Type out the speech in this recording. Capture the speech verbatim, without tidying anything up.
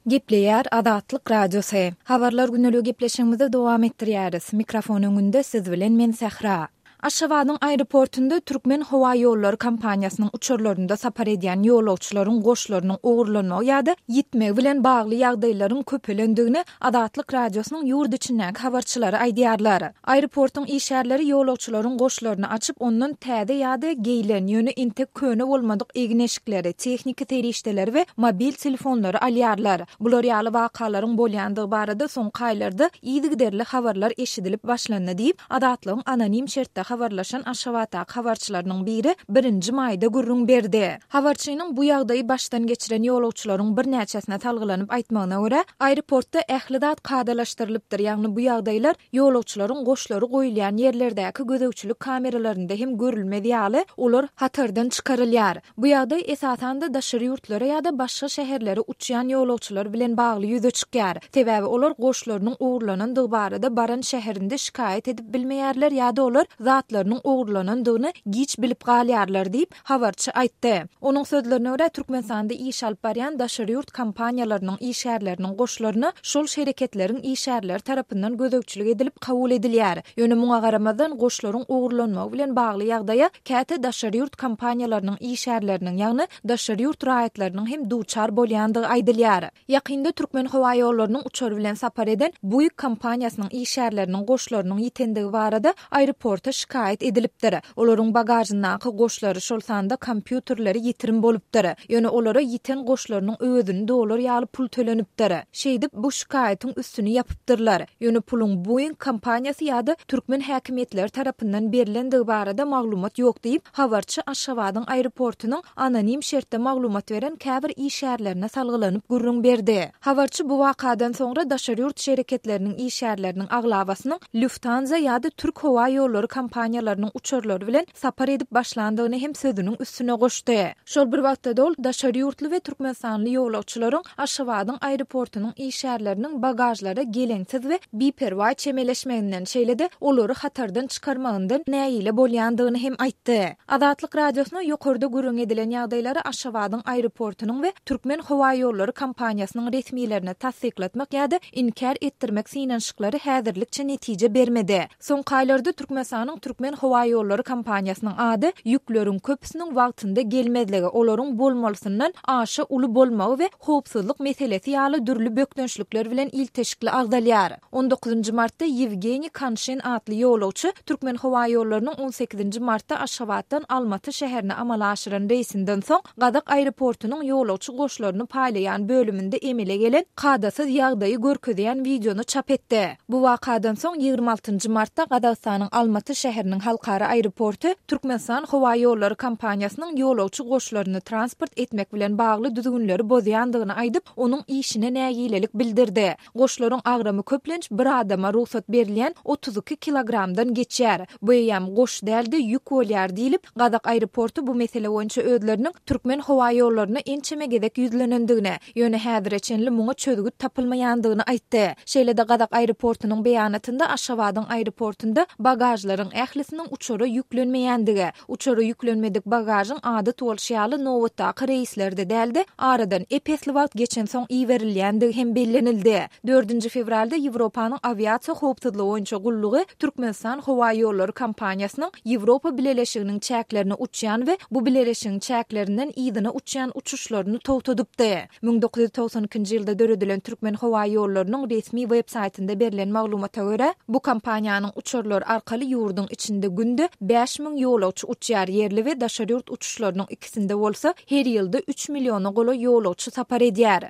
Gepleýär Azatlyk Radiosy. Habarlar gündeligi gepleşigimizi dowam etdirýäris. Mikrofon öňünde siz bilen men Sähra. Aşgabadyň aeroportunda Türkmen howa ýollary kompaniýasynyň uçarlarynda sapar edýän ýolagçylaryň goşlarynyň ogurlanmagy ýa-da ýitmegi bilen bagly ýagdaýlaryň köpelendigini Azatlyk Radiosynyň ýurt içindäki habarçylary aýdýarlar. Aeroportuň işgärleri ýolagçylaryň goşlaryny açyp, ondan täze ýa-da geýlen, ýöne entek köne bolmadyk egin-eşikleri, tehniki serişdeleri we mobil telefonlary alýarlar. Bular ýaly wakalaryň bolýandygy barada soňky aýlarda yzygiderli habarlar eşidilip başlandy diýip, Azatlygyň anonim şertde habarlaşan Aşgabatdaky habarçylarynyň biri birinji maýda gürrüň berdi. Habarçynyň bu ýagdaýy başdan geçiren ýolagçylaryň birnäçesine salgylanyp aýtmagyna görä, aeroportda ähli zat kadalaşdyrylypdyr, ýagny bu ýagdaýlar ýolagçylaryň goşlary goýulýan ýerlerdäki gözegçilik kameralarynda hem görülmez ýaly, olar hatardan çykarylýar. Bu ýagdaý esasan-da daşary ýurtlara ýa-da başga şäherlere uçýan ýolagçylar bilen bagly ýüze çykýar. Sebäbi olar goşlarynyň ogurlanandygy barada baran şäherinde şikaýat edip bilmeýärler ýa-da olar zatlarynyň ogurlanandygyny giç bilip galýarlar diýip, habarçy aýtdy. Onuň sözlerine görä, Türkmenistanda iş alyp barýan daşary ýurt kompaniýalarynyň işgärleriniň goşlaryna şol şereketleriň işgärleri tarapyndan gözegçilik edilip kabul edilýär. Ýöne muňa garamazdan, goşlaryň ogurlanmagy bilen bagly ýagdaýa käte daşary ýurt kompaniýalarynyň işgärleriniň, ýagny daşary ýurt raýatlarynyň hem duçar bolýandygy aýdylýar. Ýakynda Türkmenhowaýollarynyň uçary bilen sapar eden Buig kompaniýasynyň işgärleriniň goşlarynyň ýitendigi barada aeroporta şikaýat edilipdir. Olaryň bagažyndaky goşlary, şol sanda kompýuterleri ýitirim bolupdyr. Ýöne olara ýiten goşlarynyň öwezini dolar ýaly pul tölenipdir. Şeýdip, bu şikaýatyň üstüni ýapypdyrlar. Ýöne puluň Buig kompaniýasy ýa-da türkmen häkimiýetleri tarapyndan berlendigi barada maglumat ýok diýip, habarçy Aşgabadyň aeroportunyň anonim şertde maglumat beren käbir işgärlerine salgylanyp gürrüň berdi. Habarçy bu wakadan soňra daşary ýurt şereketleriniň işgärleriniň aglabasynyň Lufthansa ýa-da Türk howa ýollary kompaniýalarynyň uçarlary bilen sapar edip başlandygyny hem sözüniň üstüne goşdy. Şol bir wagtda-da ol daşary ýurtly we türkmenistanly ýolagçylaryň Aşgabadyň aeroportunyň işgärleriniň bagažlara geleňsiz we biperwaý çemeleşmeginden, şeýle-de olary hatardan çykarmagyndan nägile bolýandygyny hem aýtdy. Azatlyk Radiosyna ýokarda gürrüň edilen ýagdaýlary Aşgabadyň aeroportunyň we Türkmenhowaýollary kompaniýasynyň resmilerine tassyklatmak ýa-da inkär etdirmek synanyşyklary häzirlikçe netije bermedi. Soňky aýlarda Türkmenistanyň Türkmenhowaýollary kompaniýasynyň ady ýükleriň köpüsiniň wagtynda gelmezligi, olaryň bolmalysyndan aşa uly bolmagy we howpsuzlyk meselesi ýaly dürli bökdençlikler bilen ilteşikli agzalýar. On dokuzynjy martda Ýewgeniý Kanşin atly ýolagçy Türkmenhowaýollarynyň on sekizinji martda Aşgabatdan Almaty şäherine amala aşyran reýsinden soň Gazak aeroportunyň ýolagçy goşlaryny paýlaýan bölüminde emele gelen kadasyz ýagdaýy görkezýän wideony çap etdi. Bu wakadan soň ýigrimi altynjy martda Gazagystanyň Almaty şäheriniň halkara aeroporty Türkmenistan howaýollary kompaniýasynyň ýolagçy goşlaryny transport etmek bilen bagly düzgünleri bozýandygyny aýdyp, onuň işine nägilelik bildirdi. Goşlaryň agramy köplenç bir adama rugsat berilýän otuz iki kilogramdan geçýär. Bu eýýäm goş däl-de, ýük bolýar diýlip, Gazak aeroporty bu mesele boýunça özleriniň Türkmenhowaýollaryna ençeme gezek ýüzlenendigini, ýöne häzire çenli muňa çözgüt tapylmaýandygyny aýtdy. Şeýle-de Gazak aeroportunyň beýanatynda Aşgabadyň aeroportunda bagažlaryň ählisiniň uçara ýüklenmeýändigi, uçara ýüklenmedik bagažyň adat bolşy ýaly nobatdaky reýslerde däl-de, aradan ep-esli wagt geçensoň iberilýändigi hem bellenildi. Dördünji fewralda Ýewropanyň awiasiýa howpsuzlygy boýunça gullugy Türkmenistan howaýollary kompaniýasynyň Ýewropa Bileleşiginiň çäklerine uçýan we bu bileleşigiň çäklerinden yzyna uçýan uçuşlaryny togtadypdy. Müň dokuz ýüz togsan ikinji ýylda döredilen Türkmenhowaýollarynyň resmi web-saýtynda berlen maglumata görä, bu kompaniýanyň uçarlary arkaly ýurduň içinde günde bäş müň ýolagçy uçýar, ýerli we daşary ýurt uçuşlarynyň ikisinde bolsa her ýylda üç milliona golaý ýolagçy sapar edýär.